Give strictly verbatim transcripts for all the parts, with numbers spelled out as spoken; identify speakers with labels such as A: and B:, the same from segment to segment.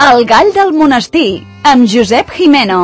A: El gall del monestir, amb Josep Jimeno.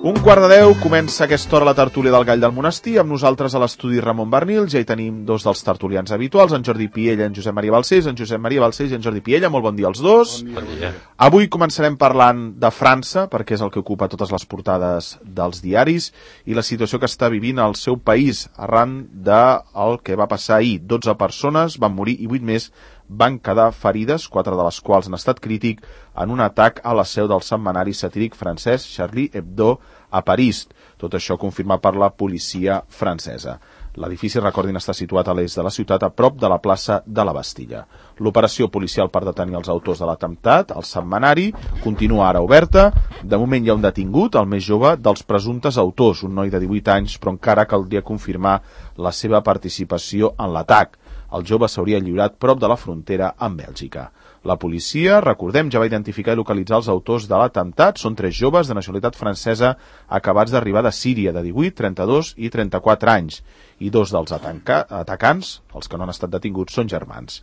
B: Un quart de deu, comença a aquesta hora la tertúlia del Gall del Monestir, amb nosaltres a l'estudi Ramon Barnil. Ja hi tenim dos dels tertulians habituals, en Jordi Piella i en Josep Maria Balcells. En Josep Maria Balcells i en Jordi Piella, molt bon dia als dos.
C: Bon dia.
B: Avui començarem parlant de França, perquè és el que ocupa totes les portades dels diaris, i la situació que està vivint el seu país arran del que va passar ahir. dotze persones van morir i vuit més van quedar ferides, quatre de les quals en estat crític, en un atac a la seu del setmanari satíric francès Charlie Hebdo a París. Tot això confirmat per la policia francesa. L'edifici, recordin, està situat a l'est de la ciutat, a prop de la plaça de la Bastilla. L'operació policial per detenir els autors de l'atemptat, el setmanari, continua ara oberta. De moment hi ha un detingut, el més jove dels presumptes autors, un noi de divuit anys, però encara caldria confirmar la seva participació en l'atac. El jove s'hauria lliurat prop de la frontera amb Bèlgica. La policia, recordem, ja va identificar i localitzar els autors de l'atemptat. Són tres joves de nacionalitat francesa acabats d'arribar de Síria, de divuit, trenta-dos i trenta-quatre anys. I dos dels atacants, els que no han estat detinguts, són germans.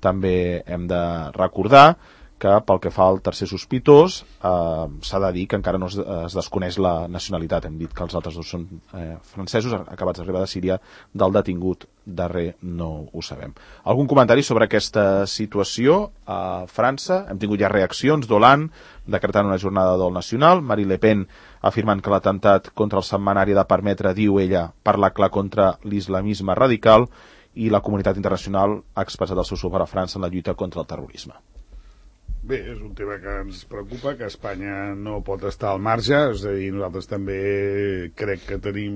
B: També hem de recordar que pel que fa al tercer sospitós eh, s'ha de dir que encara no es, es desconeix la nacionalitat. Hem dit que els altres dos són eh, francesos, acabats d'arribar de Síria. Del detingut darrer no ho sabem. Algun comentari sobre aquesta situació a França? Hem tingut ja reaccions d'Hollande decretant una jornada de dol nacional, Marine Le Pen afirmant que l'atemptat contra el setmanari ha de permetre, diu ella, parlar clar contra l'islamisme radical, i la comunitat internacional ha expressat el seu suport a França en la lluita contra el terrorisme.
D: Bé, és un tema que ens preocupa, que Espanya no pot estar al marge, és a dir, nosaltres també crec que tenim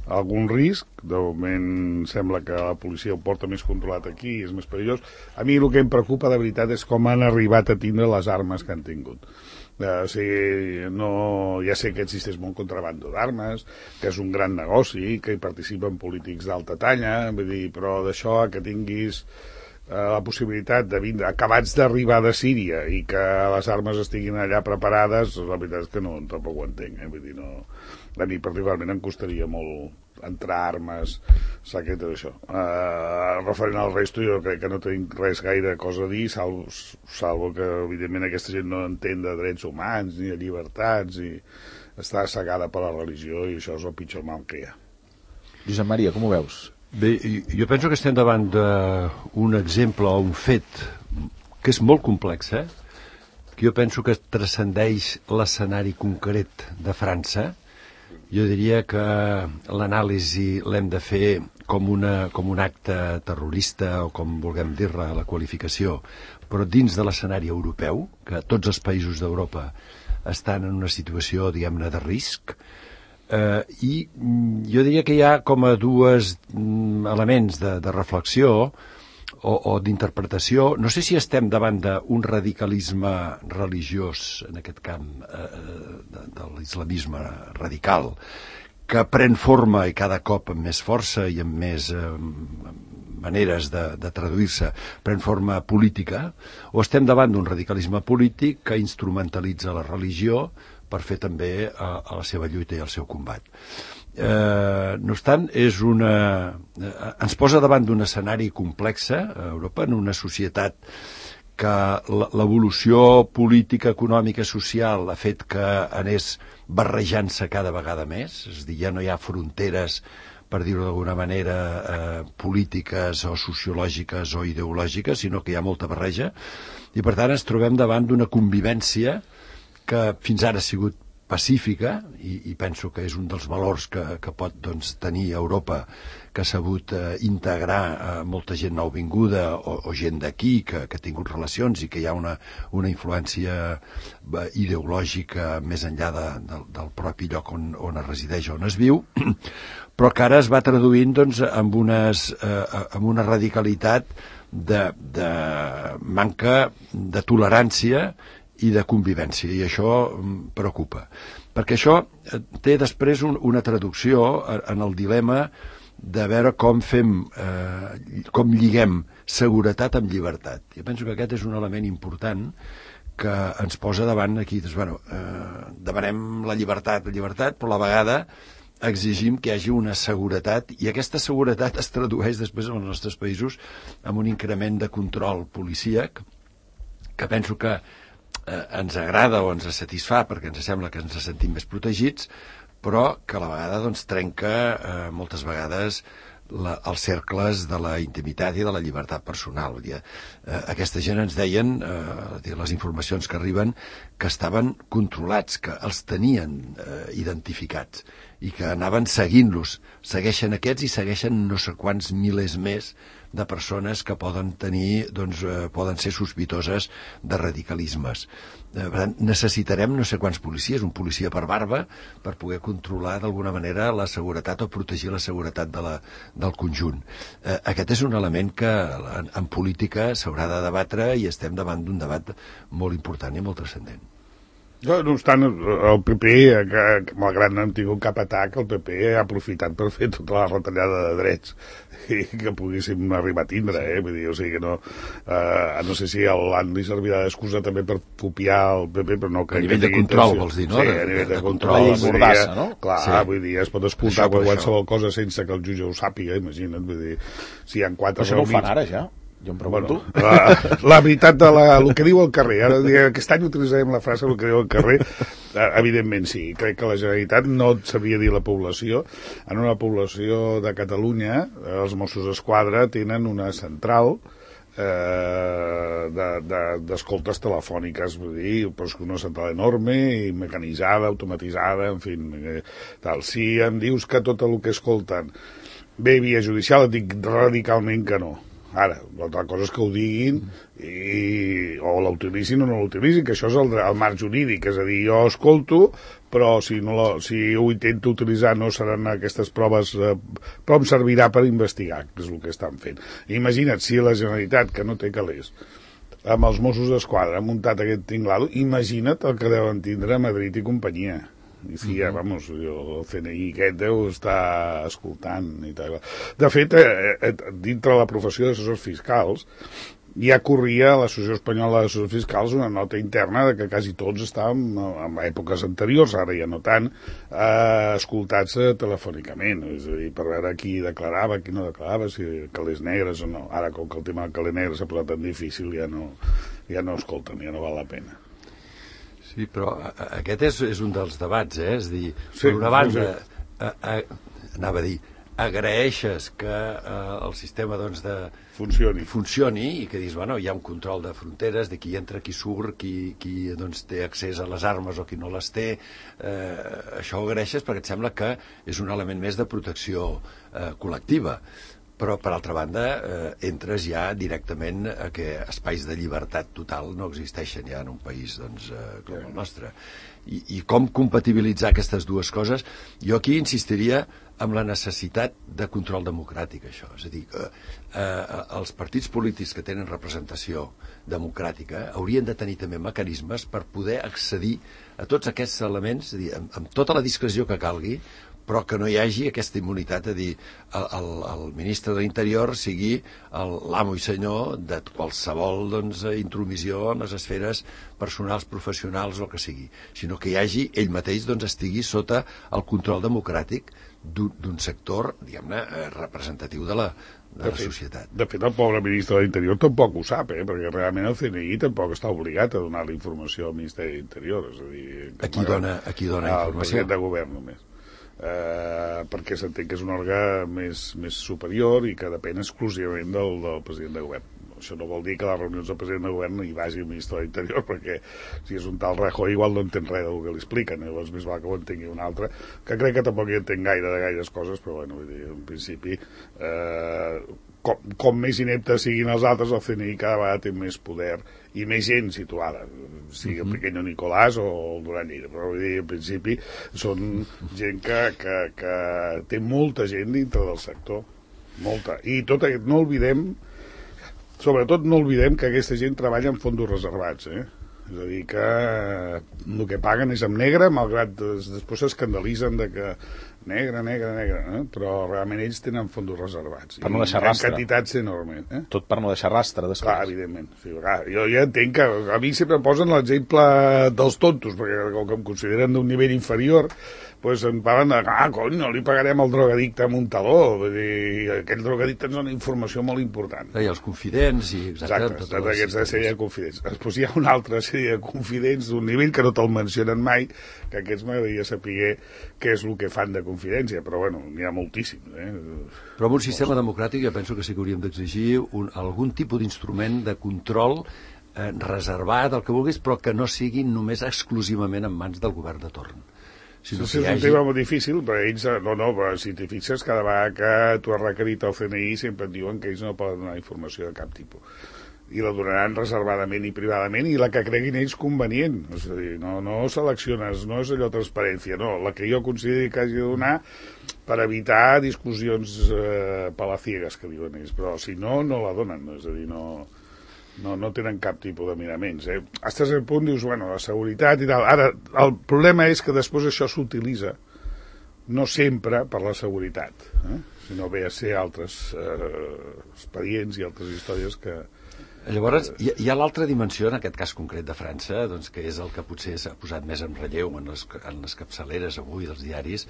D: algun risc. De moment sembla que la policia ho porta més controlat aquí, és més perillós. A mi el que em preocupa de veritat és com han arribat a tindre les armes que han tingut. Uh, o sigui, no, ja sé que existeix molt contrabando d'armes, que és un gran negoci, que hi participen polítics d'alta talla, vull dir, però d'això que tinguis la possibilitat de vindre acabats d'arribar de Síria i que les armes estiguin allà preparades, la veritat és que no, tampoc ho entenc, eh? Vull dir, no, a mi particularment em costaria molt entrar armes, saber què és això. Uh, referent al resto, jo crec que no tinc res gaire cosa a dir, salvo, salvo que evidentment aquesta gent no entén de drets humans ni de llibertats i està cegada per la religió, i això és el pitjor mal que hi ha.
B: Josep Maria, com ho veus?
C: Bé, jo penso que estem davant d'un exemple o un fet que és molt complex, eh? Que jo penso que transcendeix l'escenari concret de França. Jo diria que l'anàlisi l'hem de fer com, una, com un acte terrorista, o com vulguem dir-ne la qualificació, però dins de l'escenari europeu, que tots els països d'Europa estan en una situació, diguem-ne, de risc. Uh, i jo diria que hi ha com a dues um, elements de, de reflexió o, o d'interpretació. No sé si estem davant d'un radicalisme religiós, en aquest camp uh, de, de l'islamisme radical, que pren forma i cada cop amb més força i amb més uh, maneres de, de traduir-se, pren forma política, o estem davant d'un radicalisme polític que instrumentalitza la religió per fer també a, a la seva lluita i al seu combat. Eh, no obstant, és una, eh, ens posa davant d'un escenari complex a Europa, en una societat que l'evolució política, econòmica, social ha fet que anés barrejant-se cada vegada més, és a dir, ja no hi ha fronteres, per dir-ho d'alguna manera, eh, polítiques o sociològiques o ideològiques, sinó que hi ha molta barreja, i per tant ens trobem davant d'una convivència que fins ara ha sigut pacífica, i, i penso que és un dels valors que, que pot doncs, tenir Europa, que ha sabut eh, integrar eh, molta gent nouvinguda o, o gent d'aquí que, que ha tingut relacions i que hi ha una, una influència eh, ideològica més enllà de, de, del propi lloc on, on es resideix, on es viu, però que ara es va traduint doncs, amb, unes, eh, amb una radicalitat de, de manca de tolerància i de convivència, i això preocupa, perquè això té després un, una traducció en el dilema de veure com fem, eh, com lliguem seguretat amb llibertat. Jo penso que aquest és un element important que ens posa davant aquí, doncs, bueno, eh, demanem la llibertat, la llibertat, però a la vegada exigim que hi hagi una seguretat, i aquesta seguretat es tradueix després en els nostres països amb un increment de control policíac, que penso que eh, ens agrada o ens satisfà perquè ens sembla que ens sentim més protegits, però que a la vegada doncs, trenca eh, moltes vegades la, els cercles de la intimitat i de la llibertat personal. Vull dir, eh, aquesta gent ens deien, eh, les informacions que arriben, que estaven controlats, que els tenien eh, identificats i que anaven seguint-los. Segueixen aquests i segueixen no sé quants milers més de persones que poden tenir, doncs, eh, poden ser sospitoses de radicalismes. Eh, per tant, necessitarem no sé quants policies, un policia per barba, per poder controlar d'alguna manera la seguretat o protegir la seguretat de la, del conjunt. Eh, aquest és un element que en, en política s'haurà de debatre i estem davant d'un debat molt important i molt transcendent.
D: No, no obstant, el P P, que, malgrat no hem tingut cap atac, el P P ha aprofitat per fer tota la retallada de drets i que poguéssim arribar a tindre, eh? Vull dir, o sigui que no... Eh, no sé si l'An li servirà d'excusa també per copiar el P P, però no crec
C: a nivell
D: que
C: de control, vols dir, no?
D: Sí, a nivell de, de control.
B: La mordassa, no?
D: Clar,
C: sí.
D: Vull dir, es pot escoltar qualsevol cosa sense que el jutge ho sàpiga, imagina't, vull dir, si hi ha quatre...
B: Això no ho fan ara, ja? Jo em pregunto.
D: Bueno, la, la veritat de la, el que diu el carrer, ara aquest any utilitzarem la frase el que diu el carrer, evidentment sí, crec que la Generalitat no sabria dir la població. En una població de Catalunya, els Mossos d'Esquadra tenen una central eh, d'escoltes de, de, telefòniques, vull dir, però una central enorme i mecanitzada, automatitzada, en fi, eh, tal. Si em dius que tot el que escolten ve via judicial, et dic radicalment que no. Ara, l'altra cosa és que ho diguin i, o l'utilitzin o no l'utilitzin, que això és el, el marc jurídic, és a dir, jo escolto, però si, no la, si ho intento utilitzar no seran aquestes proves, eh, però em servirà per investigar, que és el que estan fent. Imagina't si la Generalitat, que no té calés, amb els Mossos d'Esquadra ha muntat aquest tinglado, imagina't el que deuen tindre a Madrid i companyia. I sí, ja, vamos, el C N I aquest deu estar escoltant i tal. De fet, eh, eh, dintre la professió d'assessors fiscals, ja corria a l'Associació Espanyola d'Assessors Fiscals una nota interna de que quasi tots estàvem, en èpoques anteriors, ara ja no tant, eh, escoltats eh, telefònicament, és a dir, per veure qui declarava, qui no declarava, si calés negres o no. Ara, com que el tema del caler negre s'ha posat tan difícil, ja no, ja no escolten, ja no val la pena.
C: Sí, però aquest és, és un dels debats, eh? És dir,
D: sí,
C: per una banda,
D: sí, sí.
C: A, a, anava a dir, agraeixes que eh, el sistema doncs, de,
D: funcioni.
C: funcioni i que dius, bueno, hi ha un control de fronteres, de qui entra, qui surt, qui, qui doncs, té accés a les armes o qui no les té. Eh, això ho agraeixes perquè et sembla que és un element més de protecció eh, col·lectiva. Però, per altra banda, eh, entres ja directament a que espais de llibertat total no existeixen ja en un país doncs, eh, com el nostre. I, I com compatibilitzar aquestes dues coses? Jo aquí insistiria en la necessitat de control democràtic, això. És a dir, que eh, els partits polítics que tenen representació democràtica haurien de tenir també mecanismes per poder accedir a tots aquests elements, és a dir, amb, amb tota la discreció que calgui, però que no hi hagi aquesta immunitat, a dir, el, el, el ministre de l'Interior sigui l'amo i senyor de qualsevol doncs, intromissió en les esferes personals, professionals o el que sigui, sinó que hi hagi, ell mateix doncs, estigui sota el control democràtic d'un sector, diguem-ne, representatiu de la, de la societat.
D: De fet, el pobre ministre de l'Interior tampoc ho sap, eh? Perquè realment el C N I tampoc està obligat a donar la informació al Ministeri de l'Interior. És a dir,
C: a qui dona, a qui dona informació?
D: Al president de govern només. Eh, perquè s'entén que és un òrgan més, més superior i que depèn exclusivament del, del president de govern. Això no vol dir que a les reunions del president de govern no hi vagi el ministre de l'Interior, perquè si és un tal Rajoy igual no entén res del que li expliquen, llavors més val que ho entengui un altre, que crec que tampoc hi entén gaire de gaires coses, però bueno, vull dir, en principi eh, com, com més ineptes siguin els altres, el C N I cada vegada té més poder i més gent situada, sigui el Pequeño Nicolás o el Duran Lleida, però vull dir, en principi són gent que, que, que té molta gent dintre del sector, molta, i tot aquest, no oblidem, sobretot no oblidem que aquesta gent treballa en fondos reservats, eh? És a dir, que el que paguen és en negre, malgrat des, després s'escandalitzen de que negre, negre, negre, eh? Però realment ells tenen fondos reservats.
B: Per no deixar rastre.
D: En quantitats enormes. Eh?
B: Tot per no deixar rastre, després.
D: Clar, evidentment. Sí, clar, jo ja entenc que a mi sempre em posen l'exemple dels tontos, perquè com que em consideren d'un nivell inferior, doncs em parlen de, ah, cony, no li pagarem al drogadicte amb un taló. Vull dir, aquell drogadicte ens dona informació molt important.
C: I els confidents, i exacte.
D: Exacte, exacte aquesta sèrie de confidents. Després hi ha una altra sèrie de confidents d'un nivell que no te'l mencionen mai, que aquests m'agradaria saber què és el que fan de confidència, però bueno, n'hi ha moltíssims. Eh?
C: Però en un sistema democràtic jo penso que sí que hauríem d'exigir un, algun tipus d'instrument de control eh, reservat, el que vulguis, però que no sigui només exclusivament en mans del govern de torn. Si no
D: sí, és un hagi... tema molt difícil, però ells, no, no, però si t'hi fixes, cada vegada que tu has requerit el C N I sempre et diuen que ells no poden donar informació de cap tipus. I la donaran reservadament i privadament i la que creguin ells convenient. És a dir, no, no selecciones, no és allò transparència, no, la que jo consideri que hagi de donar per evitar discussions eh, palaciegues, que diuen ells, però si no, no la donen, és a dir, no... No, no tenen cap tipus de miraments. Eh? Estàs al punt, dius, bueno, la seguretat i tal. Ara, el problema és que després això s'utilitza no sempre per la seguretat, eh? sinó ve a ser altres eh, expedients i altres històries que...
C: Llavors, hi, hi ha l'altra dimensió, en aquest cas concret de França, doncs, que és el que potser s'ha posat més en relleu en les, en les capçaleres avui dels diaris,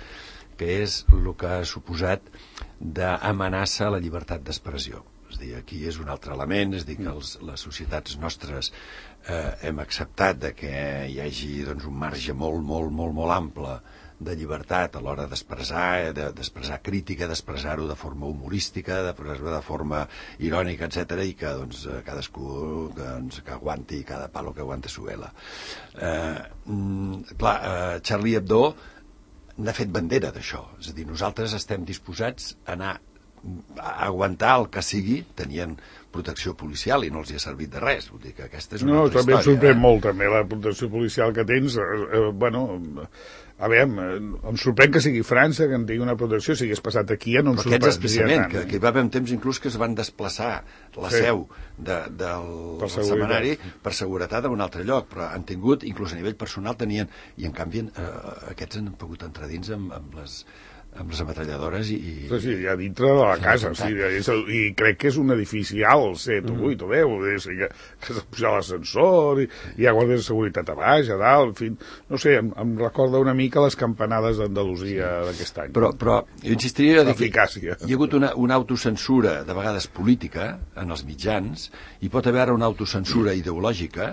C: que és el que ha suposat d'amenaça a la llibertat d'expressió. És dir, aquí és un altre element, és dir, que els, les societats nostres eh, hem acceptat de que hi hagi doncs, un marge molt, molt, molt, molt ample de llibertat a l'hora d'expressar, d'expressar crítica, d'expressar-ho de forma humorística, d'expressar-ho de forma irònica, etcètera, i que doncs, cadascú que, doncs, que aguanti cada palo que aguanta su vela. Eh, mm, clar, eh, Charlie Hebdo n'ha fet bandera d'això, és a dir, nosaltres estem disposats a anar a aguantar el que sigui, tenien protecció policial i no els hi ha servit de res. Vull dir que aquesta és una
D: no,
C: altra
D: també
C: història.
D: Em sorprèn
C: eh?
D: molt, també, la protecció policial que tens. Eh, eh, bueno, a veure, em sorprèn que sigui França, que en tingui una protecció, si hagués passat aquí, ja no em
C: sorprèn. Però aquests expressament,
D: tant,
C: que, que hi va haver un temps inclús que es van desplaçar la sí. seu de, del, del setmanari per seguretat a un altre lloc, però han tingut, inclús a nivell personal, tenien, i en canvi eh, aquests han pogut entrar dins amb, amb les amb les ametralladores i...
D: Sí, sí, ja dintre de la casa, sí, és el, i crec que és un edifici alt, set o vuit o deu, és, que, que s'ha pujat l'ascensor, i hi ha guàrdies de seguretat a baix, a dalt, en fi, no sé, em, em recorda una mica les campanades d'Andalusia sí. d'aquest any.
C: Però, però jo insistiria a dir que
D: hi
C: ha hagut una, una autocensura, de vegades política, en els mitjans, i pot haver una autocensura ideològica,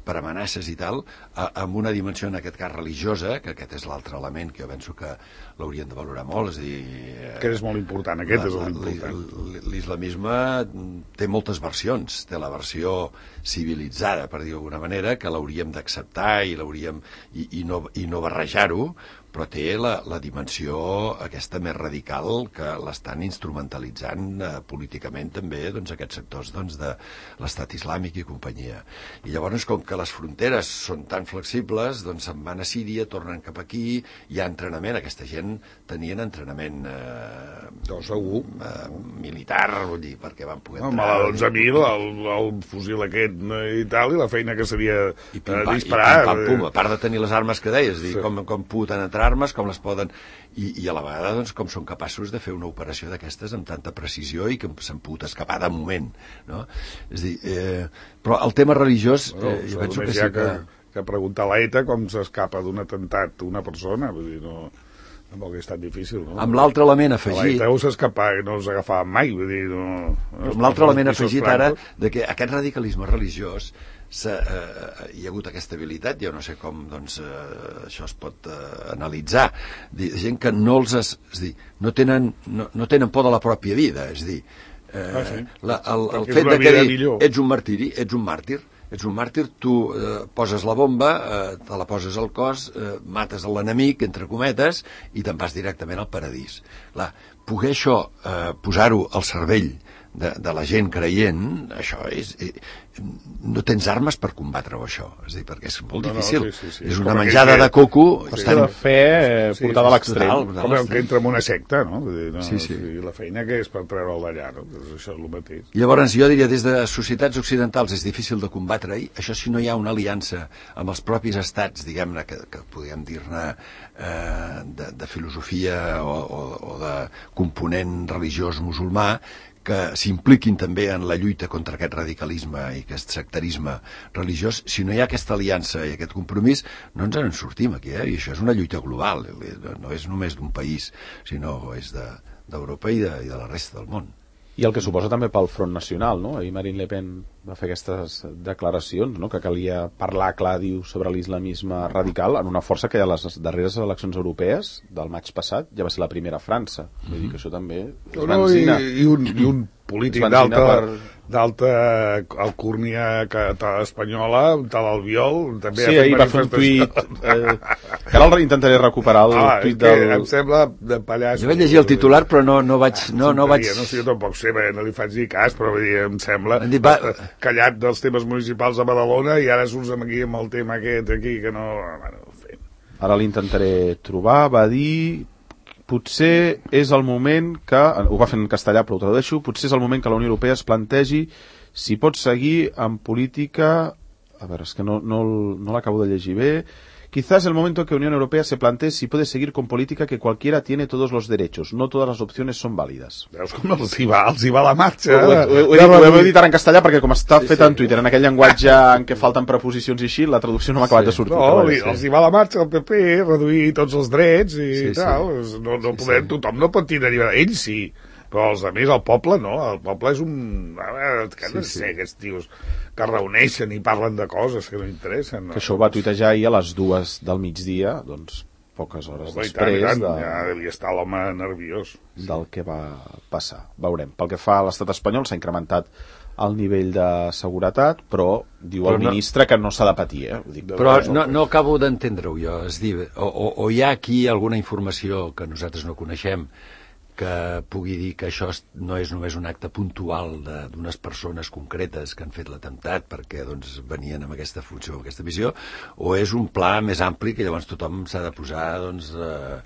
C: per amenaces i tal, a, amb una dimensió en aquest cas religiosa, que aquest és l'altre element que jo penso que l'haurien de valorar molt, és a dir...
D: Que és molt important, aquest la, és l'important.
C: L'islamisme té moltes versions, té la versió civilitzada, per dir d'alguna manera, que l'hauríem d'acceptar i l'hauríem i, i, no, i no barrejar-ho, però té la, la dimensió aquesta més radical que l'estan instrumentalitzant eh, políticament també doncs, aquests sectors doncs, de l'estat islàmic i companyia. I llavors, com que les fronteres són tan flexibles, doncs se'n van a Síria, tornen cap aquí, hi ha entrenament, aquesta gent tenien entrenament eh,
D: no, segur.
C: Eh, militar, vull dir, perquè van poder
D: entrar... Home, la dotze mil, el, el fusil aquest i tal, i la feina que seria
C: I pim,
D: eh, disparar...
C: I pim, pam, pum, a part de tenir les armes que deies, dir, sí. com, com poden entrar armes, com les poden... I, i a la vegada, doncs, com són capaços de fer una operació d'aquestes amb tanta precisió i que s'han pogut escapar de moment, no? És a dir, eh, però el tema religiós,
D: bueno,
C: eh, jo penso que sí
D: que...
C: que...
D: que preguntar a l'ETA com s'escapa d'un atemptat una persona, vull dir, no... Tampoc és tan difícil, no?
C: Amb l'altre element afegit...
D: L'ETA s'escapa, no els agafaven mai, vull dir, no...
C: Amb l'altre element afegit ara, de que aquest radicalisme religiós eh, hi ha hagut aquesta habilitat, jo no sé com doncs, eh, això es pot eh, analitzar, de gent que no els... Es, és dir, no tenen, no, no tenen por de la pròpia vida, és dir, eh, ah, sí. la, el, el fet de que dir, ets un martiri, ets un màrtir, ets un màrtir, tu eh, poses la bomba, eh, te la poses al cos, eh, mates l'enemic, entre cometes, i te'n vas directament al paradís. Clar, poder això, eh, posar-ho al cervell de, de la gent creient, això és... no tens armes per combatre-ho, això. És a dir, perquè és molt
D: no,
C: difícil.
D: No, sí, sí, sí.
C: És una menjada de coco...
B: Qüestió de fe eh, portada a l'extrem.
D: Com que entra en una secta, no? Vull dir, no
C: sí, sí.
D: I la feina que és per treure'l d'allà, no? Pues això és el mateix.
C: Llavors, jo diria, des de societats occidentals és difícil de combatre-hi. Això si no hi ha una aliança amb els propis estats, diguem-ne, que, que podríem dir-ne eh, de, de filosofia o, o, o de component religiós musulmà, que s'impliquin també en la lluita contra aquest radicalisme i aquest sectarisme religiós. Si no hi ha aquesta aliança i aquest compromís, no ens en sortim aquí, eh? I això és una lluita global, no és només d'un país, sinó és d'Europa de, i, de, i de la resta del món.
B: I el que suposa també pel Front Nacional, no? Ahir Marine Le Pen va fer aquestes declaracions, no? Que calia parlar clar, diu, sobre l'islamisme radical en una força que a les darreres eleccions europees del maig passat ja va ser la primera a França. Mm-hmm. Vull dir que això també és
D: no,
B: benzina.
D: I, i, un, i un polític d'alta per... d'alta alcurnia espanyola, tal Albiol, també
B: sí, ahir va fer un tuit eh, que ara intentaré recuperar el
D: ah,
B: tuit
D: del...
B: em
D: sembla de pallasso.
C: Jo vaig llegir el titular però no, no vaig no, no vaig...
D: no sé, jo tampoc sé, no li faig dir cas, però dir, em sembla
C: dit, va...
D: callat dels temes municipals a Badalona i ara surts aquí amb el tema aquest aquí que no... Bueno,
B: ara l'intentaré trobar. Va dir potser és el moment que, ho va fer en castellà però ho tradueixo, potser és el moment que la Unió Europea es plantegi si pot seguir en política, a veure, és que no, no, no l'acabo de llegir bé, quizás el momento que la Unión Europea se plantee si puede seguir con política que cualquiera tiene todos los derechos, no todas las opciones son válidas.
D: Veus com els hi va, els hi va la marxa.
B: Ho, ho, ho, ho, ho, ho he dit ara en castellà perquè com està sí, fet sí. en Twitter, en aquell llenguatge en què falten preposicions i així, la traducció no m'ha acabat sí. de sortir.
D: No,
B: li,
D: sí. els hi va la marxa al P P, reduir tots els drets i sí, tal. Sí. No, no sí, podem, sí. Tothom no pot tenir llibertat. Ells sí, però els altres, el poble no. El poble és un... A veure, que no sí, sé, sí. aquests tios que reuneixen i parlen de coses que no interessen. No?
B: Que això ho va tuitejar ahir a les dues del migdia, doncs poques hores oh, després
D: tant,
B: de...
D: ja devia estar l'home nerviós
B: del que va passar. Veurem. Pel que fa a l'estat espanyol s'ha incrementat el nivell de seguretat, però diu però el no... ministre que no s'ha de patir. Eh? Dic,
C: però no, no acabo d'entendre-ho jo. És dir, o, o, o hi ha aquí alguna informació que nosaltres no coneixem que pugui dir que això no és només un acte puntual d'unes persones concretes que han fet l'atemptat perquè doncs, venien amb aquesta funció, amb aquesta missió, o és un pla més ampli que llavors tothom s'ha de posar doncs, eh,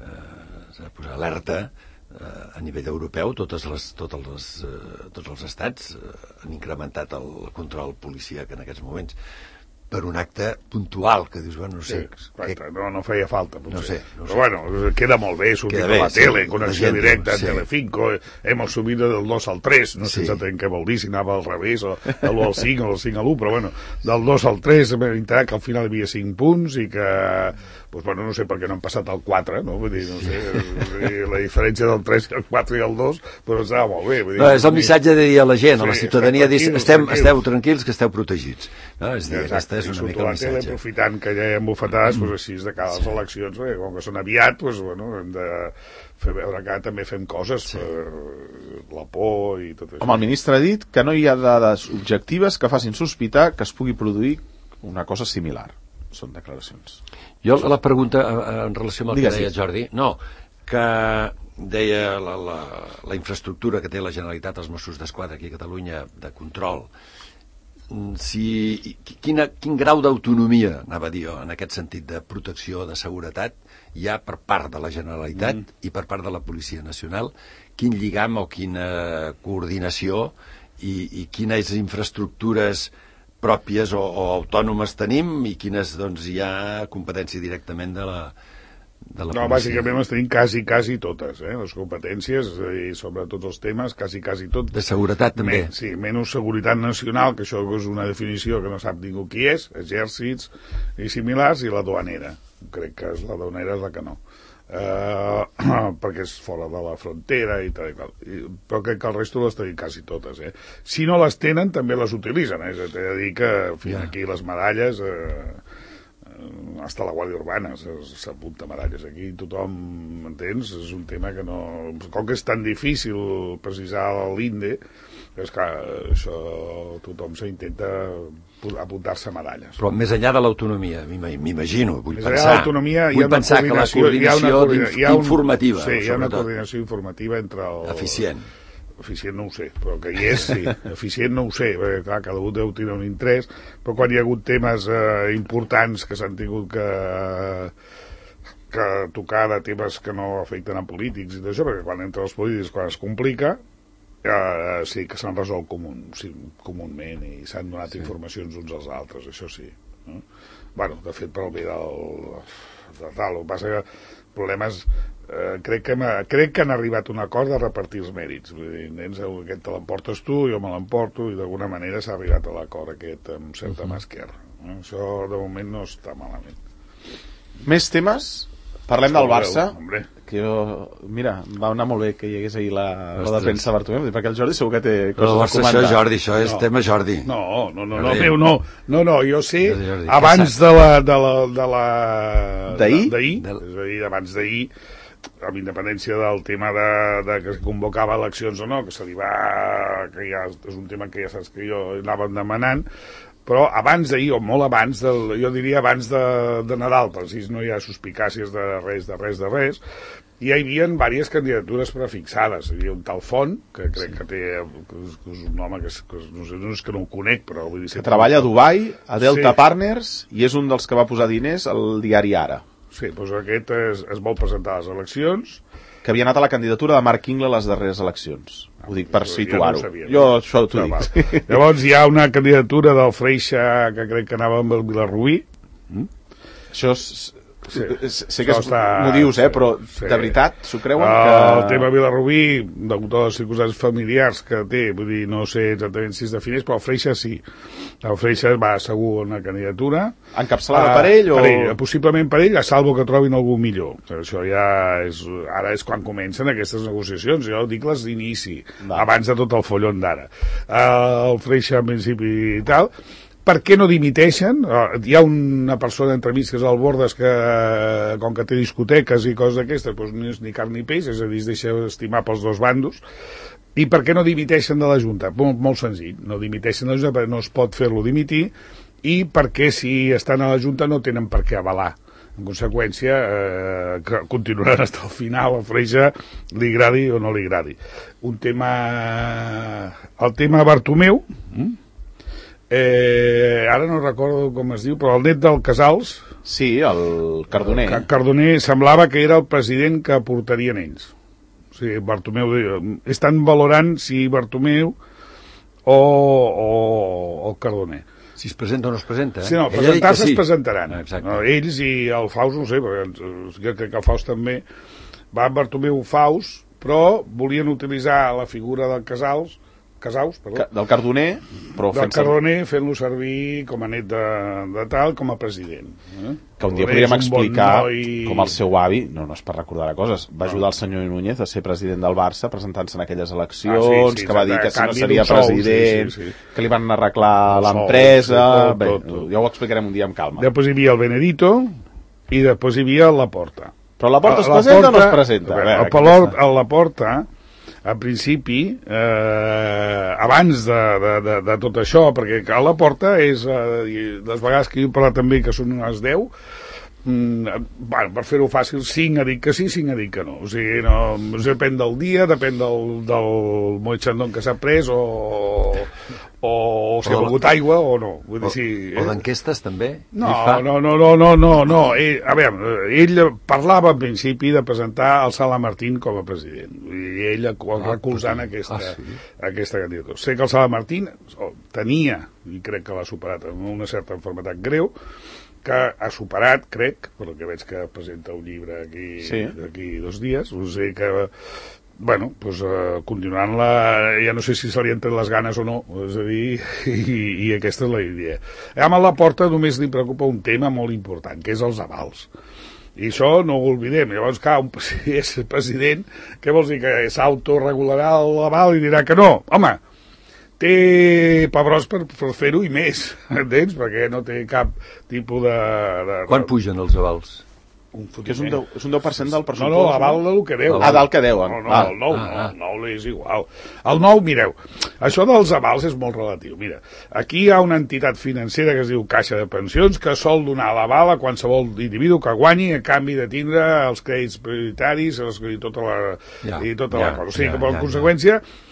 C: eh, s'ha de posar alerta eh, a nivell europeu. Totes les, totes les, eh, tots els estats eh, han incrementat el control policíac en aquests moments per un acte puntual, que dius, bueno, no sé...
D: Sí, que... no, no feia falta, potser.
C: No sé, no
D: Però sé. Bueno, queda molt bé, sortir a la tele, sí, connexió directa, sí. Telecinco, hem subido del dos al tres, no sé sí. exactament què vol dir, si anava al revés, o de l'u al cinc, o del cinc a l'u, però bueno, del dos al tres vam entrar que al final hi havia cinc punts i que, pues, bueno, no sé per què no han passat al quatre, no? Vull dir, no sé, la diferència del tres, el quatre i el dos, però estava molt bé. Vull dir,
C: no, és el missatge de dir a la gent, sí, a la ciutadania, dir, estem, esteu tranquils, que esteu protegits. No? És dir, aquesta és una mica el missatge.
D: Aprofitant que ja hi hem bufetades, mm. pues així de cada les eleccions, perquè com que són aviat, pues, bueno, hem de fer veure que també fem coses sí. per la por i tot això.
B: Com el ministre ha dit que no hi ha dades objectives que facin sospitar que es pugui produir una cosa similar. Són declaracions.
C: Jo la pregunta en relació amb el
B: Digues
C: que deia Jordi, no, que deia la, la, la infraestructura que té la Generalitat, els Mossos d'Esquadra aquí a Catalunya, de control, si, quina, quin grau d'autonomia, anava a dir jo, en aquest sentit de protecció, de seguretat, hi ha per part de la Generalitat mm. i per part de la Policia Nacional, quin lligam o quina coordinació i, i quines infraestructures pròpies o, o autònomes tenim i quines doncs, hi ha competència directament de la, de la
D: no, policia. Bàsicament les tenim quasi, quasi totes, eh? Les competències i sobre tots els temes, quasi, quasi tot.
C: De seguretat també.
D: Men, sí, menys seguretat nacional, que això és una definició que no sap ningú qui és, exèrcits i similars, i la duanera. Crec que és la duanera és la que no. Uh, perquè és fora de la frontera i tal i tal. I, però crec que el resto les tenim quasi totes, eh? Si no les tenen, també les utilitzen, eh? T'he de dir que fins yeah. aquí les medalles... Eh, hasta la Guàrdia Urbana s'apunta medalles aquí, tothom m'entens? És un tema que no... Com que és tan difícil precisar l'Inde, és que això tothom s'intenta apuntar-se medalles.
C: Però més enllà de l'autonomia, m'imagino, vull
D: més
C: pensar,
D: vull
C: pensar que la coordinació informativa,
D: sí, hi ha una coordinació informativa entre el...
C: eficient.
D: eficient no ho sé, però que hi és, sí. Eficient no ho sé, perquè clar, cada un deu tenir un interès, però quan hi ha hagut temes eh, importants que s'han tingut que, que tocar de temes que no afecten a polítics i d'això, perquè quan entren els polítics, quan es complica, eh, sí que s'han resolt comun, sí, comunment i s'han donat sí. informacions uns als altres, això sí. No? Bueno, de fet, per al bé del... de tal, el que passa que problemes... Eh, crec, que crec que han arribat a un acord de repartir els mèrits. Vull dir, nens, aquest te l'emportes tu, jo me l'emporto, i d'alguna manera s'ha arribat a l'acord aquest amb certa mà esquerra. Eh? Això de moment no està malament.
B: Més temes? Parlem del Barça.
D: Hombre.
B: Que jo, mira, va anar molt bé que hi hagués ahir la roda de premsa Bartomeu, perquè el Jordi segur que té coses
C: no,
B: a comentar.
C: Això, Jordi, això és
D: no.
C: tema Jordi.
D: No, no, no, no, meu, no, no, no, jo sé,
C: Jordi,
D: abans de la... de la... de la...
B: d'ahir?
D: D'ahir, és a dir, abans d'ahir, amb independència del tema de, de que es convocava eleccions o no, que se li va... que ja és un tema que ja saps que jo anava demanant, però abans d'ahir, o molt abans, del, jo diria abans de, de Nadal, per si no hi ha suspicàcies de res, de res, de res, hi havia diverses candidatures prefixades. Hi havia un tal Font, que crec sí. que té... que és, que és un home que, és, que no, sé, no és que no ho conec, però... Vull dir,
B: que treballa a Dubai, a Delta
D: sí.
B: Partners, i és un dels que va posar diners al diari Ara.
D: Sí, doncs aquest es, es vol presentar a les eleccions.
B: Que havia anat a la candidatura de Marc Ingle a les darreres eleccions. Ah, ho dic per situar-ho.
D: Ja no
B: jo això t'ho dic.
D: Val. Llavors hi ha una candidatura del Freixa que crec que anava amb el Vilarrubí. Mm?
B: Això és...
D: Sí.
B: Sé que està... m'ho dius, eh, però sí. de veritat s'ho creuen
D: el
B: que...
D: El tema Vilarrubí, de totes les circumstàncies familiars que té, vull dir, no sé exactament si es defineix, però el Freixa sí. El Freixa va segur una candidatura.
B: Encapçalada uh, per ell o...?
D: Per ell, possiblement per ell, a salvo que trobin algú millor. Això ja és... Ara és quan comencen aquestes negociacions, jo dic les d'inici, va. Abans de tot el follon d'ara. Uh, el Freixa, en principi, i tal... Per què no dimiteixen? Hi ha una persona entremig que és el Bordes que, com que té discoteques i coses d'aquestes, doncs no és ni carn ni peix, és a dir, es deixa estimar pels dos bandos. I per què no dimiteixen de la Junta? Molt, molt senzill, no dimiteixen de la Junta perquè no es pot fer-lo dimitir, i perquè si estan a la Junta no tenen per què avalar. En conseqüència, eh, que continuaran fins al final, a Freixa li agradi o no li agradi. Un tema... El tema Bartomeu... Mm? Eh, ara no recordo com es diu, però el net del Casals...
B: Sí, el Cardoner.
D: El Cardoner semblava que era el president que portarien ells. O sigui, Bartomeu... Estan valorant si Bartomeu o, o, o el Cardoner.
C: Si es presenta o no es presenta, eh?
D: Sí, no, presentar-se sí. es presentaran.
C: Ah,
D: no, ells i el Faust, no sé, perquè jo crec que el Faust també... Va Bartomeu Faust, però volien utilitzar la figura del Casals... Casaus, perdó.
B: Del Cardoner, però
D: del Cardoner fent-lo servir com a net de, de tal, com a president. Eh?
B: Que un dia podríem explicar bon noi... com el seu avi, no, no és per recordar coses, va ajudar el senyor Núñez a ser president del Barça presentant-se en aquelles eleccions, ah, sí, sí, que va dir que si no seria president, sí, sí, sí. que li van arreglar l'empresa... Sí, bé, tot, tot. Ja ho explicarem un dia amb calma.
D: Després hi havia el Benedito i després hi havia la Porta.
B: Però la Porta es presenta o no es presenta?
D: A veure, a, veure, a la Porta... a principi, eh, abans de, de, de, de tot això, perquè a la Porta és, eh, les vegades que jo he parlat també, que són unes deu, mm, bueno, per fer-ho fàcil, cinc ha dit que sí, cinc ha dit que no. O sigui, no, depèn del dia, depèn del, del Moet Chandon que s'ha pres, o, o, o si ha begut aigua, o no. Vull dir,
C: o
D: sí,
C: o d'enquestes, també?
D: No, no, no, no, no, no, no. Ell, a veure, ell parlava en principi de presentar el Sala Martín com a president. I ell recolzant ah, aquesta, ah, sí. aquesta candidatura. Sé que el Sala Martín tenia, i crec que l'ha superat amb una certa malaltia greu, que ha superat, crec, per que veig que presenta un llibre aquí, sí. d'aquí dos dies, o sigui que, bueno, doncs, uh, continuant-la, ja no sé si se li han tret les ganes o no, és a dir, i, i aquesta és la idea. Amb la Porta només li preocupa un tema molt important, que és els avals. I això no ho oblidem. Llavors, clar, un, si és president, què vols dir? Que s'autoregularà l'aval i dirà que no? Home, té pebrós per, per fer-ho i més, entens? Perquè no té cap tipus de... de
C: Quan pugen els avals?
B: Un que és un deu, és un deu per cent del pressupost.
D: No, no, aval del que deu.
B: Ah, del que deuen.
D: No, no, ah, el nou, ah, no, el nou és igual. El nou, mireu, això dels avals és molt relatiu. Mira, aquí hi ha una entitat financera que es diu Caixa de Pensions que sol donar l'aval a qualsevol individu que guanyi a canvi de tindre els crèdits prioritaris i tota la, ja, i tota ja, la cosa. O sigui, ja, que per ja, conseqüència... Ja.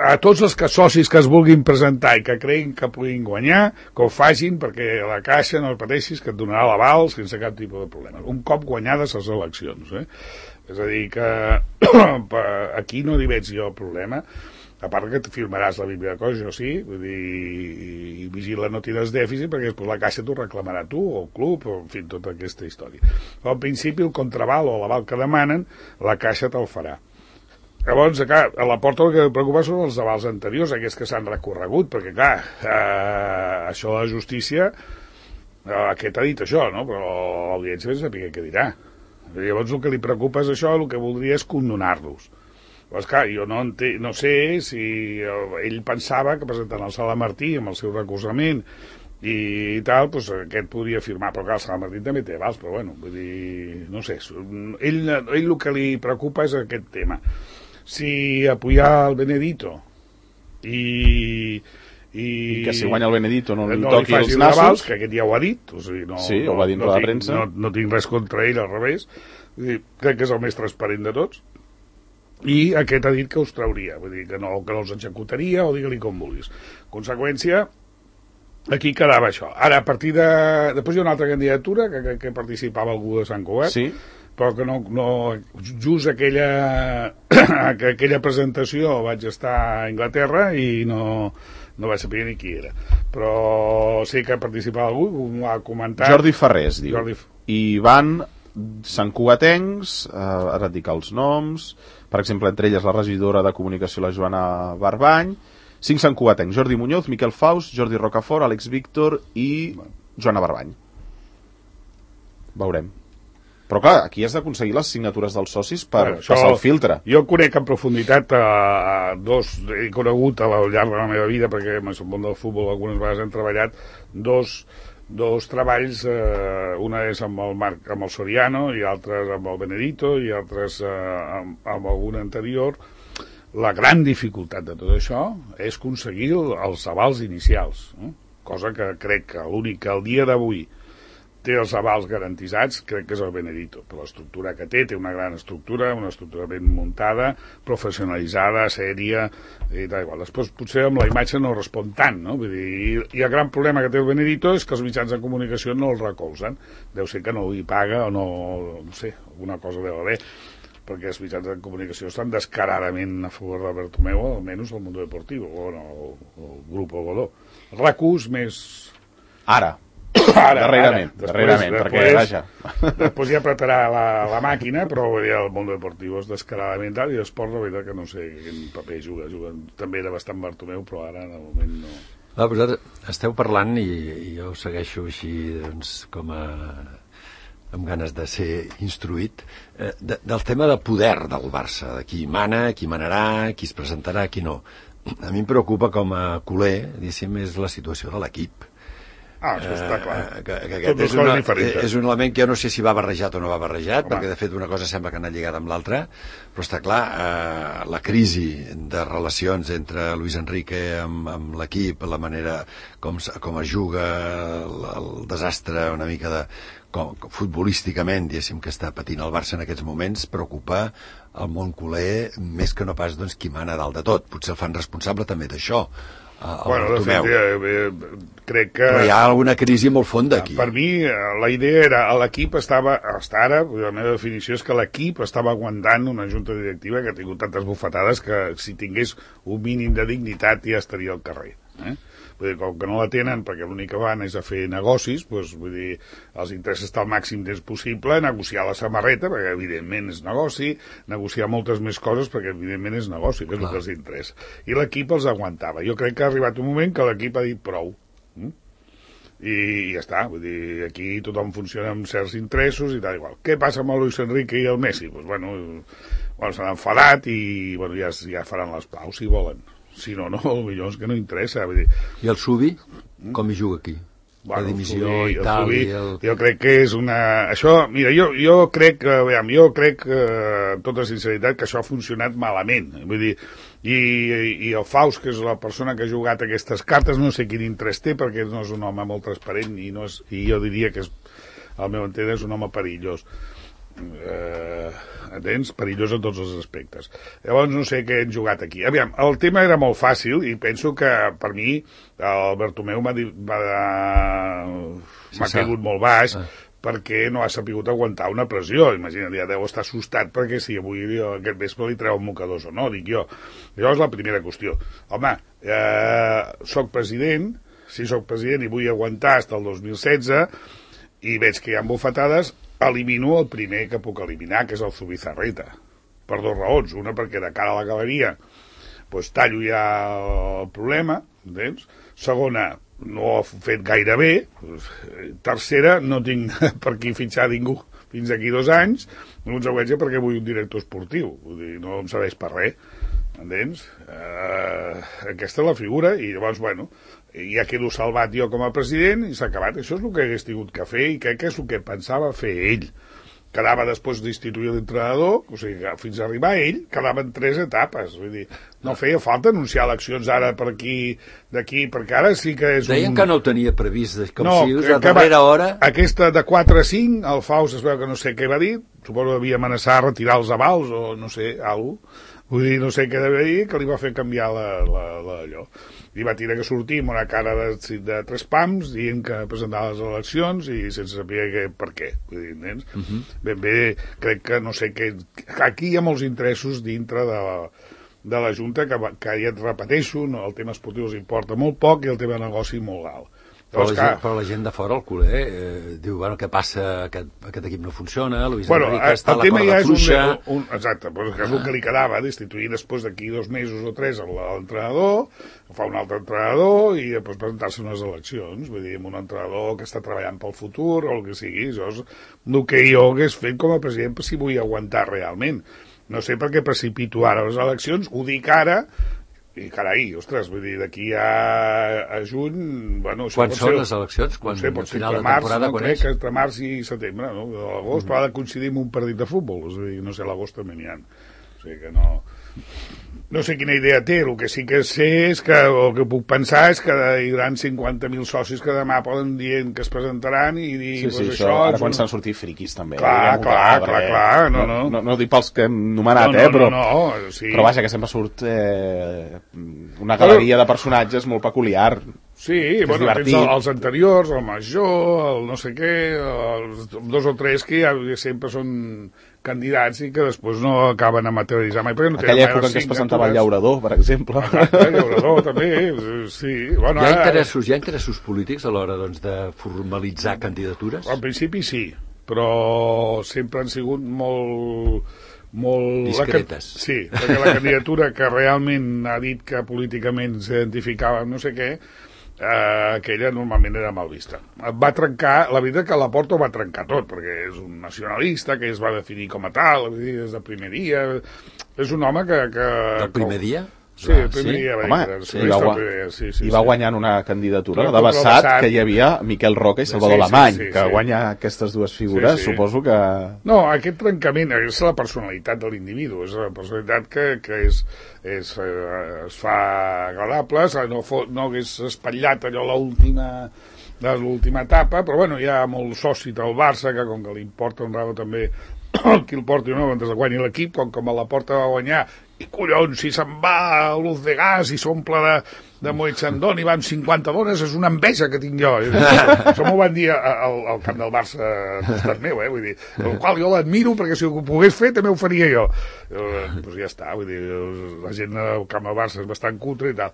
D: a tots els que, socis que es vulguin presentar i que creguin que puguin guanyar, que ho facin, perquè la Caixa, no el pateixis, que et donarà l'aval sense cap tipus de problema. Un cop guanyades les eleccions, eh? És a dir, que aquí no hi veig jo problema, a part que et firmaràs la Bíblia de coses, jo sí, vull dir, i vigila no tires dèficit, perquè després la Caixa t'ho reclamarà tu, o el club, o en fi, tota aquesta història. Però al principi el contraval o l'aval que demanen, la Caixa te'l farà. Llavors, clar, a la porta el que em preocupa són els avals anteriors, aquests que s'han recorregut, perquè, clar, eh, això de la justícia, eh, aquest ha dit això, no? Però l'audiència no sap què dirà. Llavors, el que li preocupa és això, el que voldria és condonar-los. Llavors, clar, jo no, ente, no sé si ell pensava que presentant el Sala Martí amb el seu recolzament i tal, doncs aquest podria firmar, però clar, el Sala Martí també té avals, però bueno, vull dir, no sé, ell, ell el que li preocupa és aquest tema. Si apoyar el Benedito i, i,
B: I que si guanya el Benedito no li
D: no
B: toqui
D: li
B: els nassos,
D: avals, que aquest ja ho ha dit, o sigui, no,
B: sí,
D: no,
B: ho va dir en
D: no,
B: la
D: tinc,
B: premsa,
D: no, no tinc res contra ell, al revés. Vull dir, crec que és el més transparent de tots, i aquest ha dit que us trauria, vull dir que no, que no els executaria, o digue-li com vulguis. Conseqüència, aquí quedava això. Ara, a partir de... Després hi ha una altra candidatura que, que, que participava algú de Sant Cugat, sí, però que no, no just aquella aquella presentació vaig estar a Anglaterra i no, no vaig saber ni qui era, però sé que participava algú, m'ho ha comentat.
B: Jordi Ferrés, diu.
D: Jordi...
B: I van santcugatencs, eh, ara et dic els noms, per exemple, entre elles la regidora de comunicació, la Joana Barbany, cinc santcugatencs, Jordi Muñoz, Miquel Faust, Jordi Rocafort, Àlex Víctor i Joana Barbany. Veurem. Però clar, aquí has d'aconseguir les signatures dels socis per bueno, passar el filtre.
D: Jo conec en profunditat a, a dos, he conegut al llarg de la meva vida, perquè en el món del futbol algunes vegades hem treballat, dos, dos treballs, eh, una és amb el, Marc, amb el Soriano i altres amb el Benedito i altres eh, amb, amb algun anterior. La gran dificultat de tot això és aconseguir els avals inicials, eh? Cosa que crec que l'únic que al dia d'avui té els avals garantitzats, crec que és el Benedito, per l'estructura que té, té una gran estructura, una estructura ben muntada, professionalitzada, sèria, i tal igual. Després potser amb la imatge no respon tant, no? Vull dir, i el gran problema que té el Benedito és que els mitjans de comunicació no el recolzen. Deu ser que no hi paga o no, no sé, alguna cosa deu haver, perquè els mitjans de comunicació estan descaradament a favor de Bartomeu, almenys el Mundo Deportivo, o no, el, el Grupo Godó. Recurs més...
B: Ara.
D: Ara,
B: darrerament,
D: ara.
B: darrerament,
D: després,
B: perquè vaja.
D: Després ja apretarà la, la màquina, però el Mundo Deportivo és descaradament tal, i l'esport, la veritat que no sé quin paper juga, juga. També era bastant Bartomeu, però ara, de moment, no.
C: Ah, però esteu parlant, i, i jo segueixo així, doncs, com a... amb ganes de ser instruït, eh, de, del tema de poder del Barça, de qui mana, qui manarà, qui es presentarà, qui no. A mi em preocupa com a culer, diguéssim, és la situació de l'equip.
D: Ah, això està clar.
C: Eh, que, que aquest és, una, és un element que jo no sé si va barrejat o no va barrejat, Home. perquè de fet una cosa sembla que ha anat lligada amb l'altra, però està clar, eh, la crisi de relacions entre Luis Enrique amb, amb l'equip, la manera com, com es juga, el, el desastre una mica de com, futbolísticament, diguéssim, que està patint el Barça en aquests moments, preocupa el món culer més que no pas doncs, qui mana dalt de tot. Potser el fan responsable també d'això, el
D: bueno,
C: Bartomeu.
D: De fet, eh, eh, crec que...
C: Però hi ha alguna crisi molt fonda aquí.
D: Per mi, la idea era, l'equip estava, hasta ara, la meva definició és que l'equip estava aguantant una junta directiva que ha tingut tantes bufetades que si tingués un mínim de dignitat ja estaria al carrer. Eh? Vull dir, com que no la tenen, perquè l'únic que van és a fer negocis, doncs, vull dir, els interessos estar al màxim temps possible, negociar la samarreta, perquè evidentment és negoci, negociar moltes més coses, perquè evidentment és negoci, que és Clar. el que els interessa. I l'equip els aguantava. Jo crec que ha arribat un moment que l'equip ha dit prou. Mm? I ja està, vull dir, aquí tothom funciona amb certs interessos i tal igual. Què passa amb el Luis Enrique i el Messi? Doncs, bueno, bueno s'han enfadat i bueno, ja, ja faran les paus si volen. Si no, no, potser és que no interessa. Vull dir.
C: I el Subi, com hi juga aquí? Bueno, la dimissió
D: Subi,
C: i tal.
D: Subi,
C: i el...
D: Jo crec que és una... Això, mira, jo, jo crec, que, veiem, jo crec, amb tota sinceritat, que això ha funcionat malament. Vull dir, i, i el Faust, que és la persona que ha jugat aquestes cartes, no sé quin interès té, perquè no és un home molt transparent i, no és, i jo diria que és, al meu entendre, és un home perillós. Eh, entens? Perillós en tots els aspectes. Llavors no sé què hem jugat aquí. Aviam, el tema era molt fàcil i penso que per mi el Bertomeu m'ha, m'ha, m'ha caigut molt baix ah. perquè no ha sapigut aguantar una pressió. Imagina't, ja deu estar assustat perquè si avui aquest vespre li treu mocadors o no, dic jo. Això és la primera qüestió. Home, eh, soc president, si soc president i vull aguantar fins al dos mil setze i veig que hi ha bufetades, elimino el primer que puc eliminar, que és el Zubizarreta, per dues raons. Una, perquè de cara a la galeria pues, tallo ja el problema, entens? Segona, no ho he fet gaire bé. Tercera, no tinc per qui fitxar ningú fins aquí dos anys, en conseqüència perquè vull un director esportiu, vull dir, no em serveix per res, entens? Uh, aquesta és la figura, i llavors, bueno, ja quedo salvat jo com a president i s'ha acabat. Això és el que hagués tingut que fer i crec que és el que pensava fer ell. Quedava després d'instituir l'entrenador, o sigui, fins a arribar a ell, quedaven tres etapes. Vull dir, no feia falta anunciar eleccions ara per aquí, d'aquí, perquè ara sí que és
C: Deien
D: un...
C: que no ho tenia previst, com
D: no,
C: si a darrera hora...
D: Aquesta de quatre a cinc, el Faust es veu que no sé què va dir, suposo que havia amenaçat a retirar els avals o no sé, alguna cosa. Vull dir, no sé què devia dir, que li va fer canviar la, la, la, allò. I va tenir que sortir amb una cara de, de tres pams dient que presentava les eleccions i sense saber que, per què. Vull dir, nens? Uh -huh. Ben bé, crec que no sé què... Aquí hi ha molts interessos dintre de la, de la Junta que, que ja et repeteixo, no, el tema esportiu els importa molt poc i el tema de negoci molt alt.
C: Però la, gent, però la gent de fora, el culer, eh, diu, bueno, què passa? Aquest, aquest equip no funciona, Luis
D: bueno,
C: Enrique està a la corda
D: ja
C: fluixa...
D: Un, un, exacte, però és el que li quedava, destituir després d'aquí dos mesos o tres l'entrenador, fa un altre entrenador i després presentar-se unes eleccions, vull dir, amb un entrenador que està treballant pel futur o el que sigui. Això és el que jo hagués fet com a president per si vull aguantar realment. No sé per què precipito ara les eleccions, ho dic ara... I carai, ostres, vull dir, d'aquí a, a juny... Bueno,
C: quan són
D: ser,
C: les eleccions? Quan,
D: no sé, pot ser
C: final
D: entre
C: de temporada,
D: març, no,
C: quan
D: crec
C: és?
D: que entre març i setembre, no? L'agost, mm. però ha de coincidir amb un partit de futbol, és a dir, no sé, a l'agost també n'hi ha. O sigui que no... No sé quina idea té, el que sí que sé és que, el que puc pensar és que hi haurà cinquanta mil socis que demà poden dir que es presentaran i dir...
B: Sí, sí,
D: pues
B: això,
D: això
B: ara
D: és
B: quan
D: un...
B: s'han sortit friquis també.
D: Clar, clar, clar, clar, no, no.
B: No, no dic pels que hem nomenat,
D: no, no,
B: eh, però...
D: No, no, sí.
B: Però vaja, que sempre surt eh, una galeria de personatges molt peculiar.
D: Sí, bueno, tens els anteriors, el Major, el no sé què, els dos o tres que ja sempre són candidats i que després no acaben a materialitzar mai. No
B: aquella època en què es presentava el Llaurador, per exemple.
D: Exacte, el Llaurador també, sí. Bueno,
C: hi, ha interessos, hi ha interessos polítics a l'hora doncs, de formalitzar candidatures?
D: Al principi sí, però sempre han sigut molt... molt
C: discretes.
D: La, sí, perquè la candidatura que realment ha dit que políticament s'identificava no sé què, eh, aquella normalment era mal vista. Va trencar, la veritat que la Porta ho va trencar tot, perquè és un nacionalista que es va definir com a tal, des del primer dia, és un home que... que
C: del primer dia?
D: Sí, el primer
C: sí?
D: dia va
B: Home,
D: dir,
B: sí, i va,
D: primer, sí, sí,
B: i va
D: sí.
B: guanyant una candidatura
D: Clar,
B: de Bassat,
D: Bassat,
B: que hi havia Miquel Roca i Salvador
D: sí, sí,
B: Alemany,
D: sí, sí,
B: que
D: sí.
B: guanya aquestes dues figures, sí, sí. Suposo que...
D: No, aquest trencament és la personalitat de l'individu, és la personalitat que, que és, és, eh, es fa agradable, no, no hagués espatllat allò l'última de l'última etapa, però bueno, hi ha molt soci del Barça, que com que li importa un rabo també qui el porti o no, mentre guanyi l'equip, com que me la Porta va guanyar, i collons, si se'n va a l'Uz de Gas i s'omple de, de Moet Chandon i va amb cinquanta dones, és una enveja que tinc jo. Això m'ho van dir al, al camp del Barça al costat meu, eh? Vull dir, el qual jo l'admiro perquè si ho pogués fer també ho faria jo. Doncs pues ja està, vull dir, la gent al camp del Barça és bastant cutre i tal.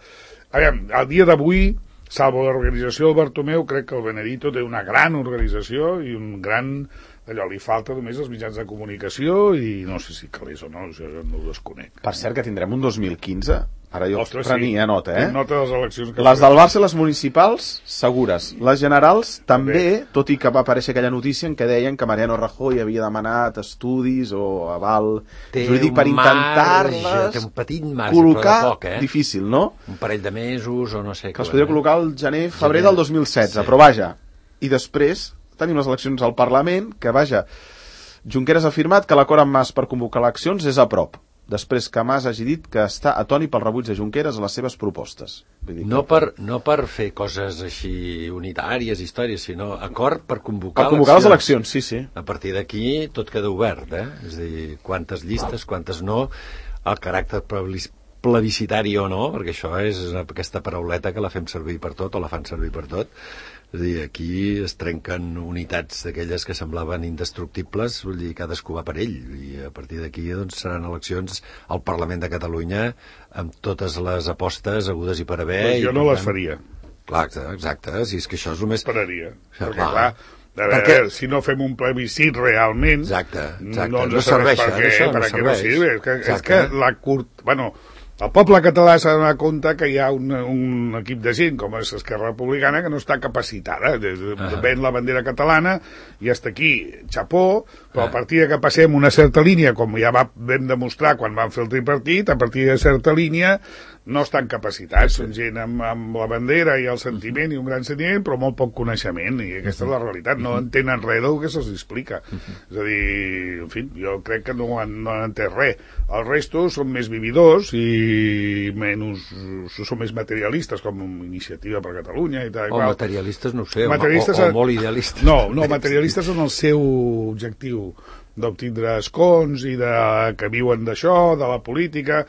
D: Aviam, al dia d'avui, salvo l'organització del Bertomeu, crec que el Benedito té una gran organització i un gran... allò, li falta només els mitjans de comunicació i no sé si calés o no, això no ho desconec.
B: Per cert, que tindrem un dos mil quinze, ara jo
D: Ostres,
B: prenia
D: sí.
B: nota, eh?
D: Nota de les eleccions. Que
B: les del Barça i les municipals, segures. Les generals, també, també, tot i que va aparèixer aquella notícia en què deien que Mariano Rajoy havia demanat estudis o aval
C: té
B: jurídic per intentar-les
C: té un petit marge,
B: col·locar,
C: però de poc, eh?
B: Difícil, no?
C: Un parell de mesos o no sé.
B: Que es podria col·locar el gener, febrer del dos mil setze, sí. Però vaja, i després tenim les eleccions al Parlament, que vaja, Junqueras ha afirmat que l'acord amb Mas per convocar eleccions és a prop, després que Mas hagi dit que està atònit pel rebuig de Junqueras a les seves propostes. Vull dir
C: No
B: que...
C: per, no per fer coses així unitàries, històries, sinó acord per convocar,
B: Per convocar les eleccions, sí, sí.
C: A partir d'aquí tot queda obert, eh? És a dir, quantes llistes, quantes no, el caràcter plebiscitari o no, perquè això és aquesta parauleta que la fem servir per tot, o la fan servir per tot. És a dir, aquí es trenquen unitats d'aquelles que semblaven indestructibles, vull dir, cadascú va per ell, i a partir d'aquí doncs, seran eleccions al Parlament de Catalunya amb totes les apostes hagudes i per haver.
D: Pues jo
C: i,
D: no les
C: tant,
D: faria.
C: Clar, exacte, si és que això és el més...
D: Esperaria,
C: Ja,
D: perquè
C: clar.
D: clar, a veure,
C: Perquè-
D: si no fem un plebiscit realment,
C: Exacte, exacte.
D: no ens
C: No
D: serveix
C: serveix,
D: per què,
C: això no
D: per a què no
C: serveix.
D: sirve. És que, és
C: Exacte.
D: que la curt... Bueno, el poble català s'ha de donar compte que hi ha un, un equip de gent, com és Esquerra Republicana, que no està capacitada. Des de,
C: Ah.
D: ven la bandera catalana i hasta aquí, xapó, però a partir de que passem una certa línia, com ja va, vam demostrar quan vam fer el tripartit, a partir de certa línia no estan capacitats, són gent amb, amb la bandera i el sentiment i un gran sentiment, però molt poc coneixement, i aquesta és la realitat, no entenen res del que se'ls explica. És a dir, en fi, jo crec que no han, no han entès res. El resto són més vividors i menys, són més materialistes, com Iniciativa per Catalunya i tal.
C: O
D: qual.
C: materialistes, no ho sé, o,
D: Materialistes
C: o, o
D: en-
C: molt idealistes.
D: No, no, materialistes són el seu objectiu d'obtindre escons i de, que viuen d'això, de la política.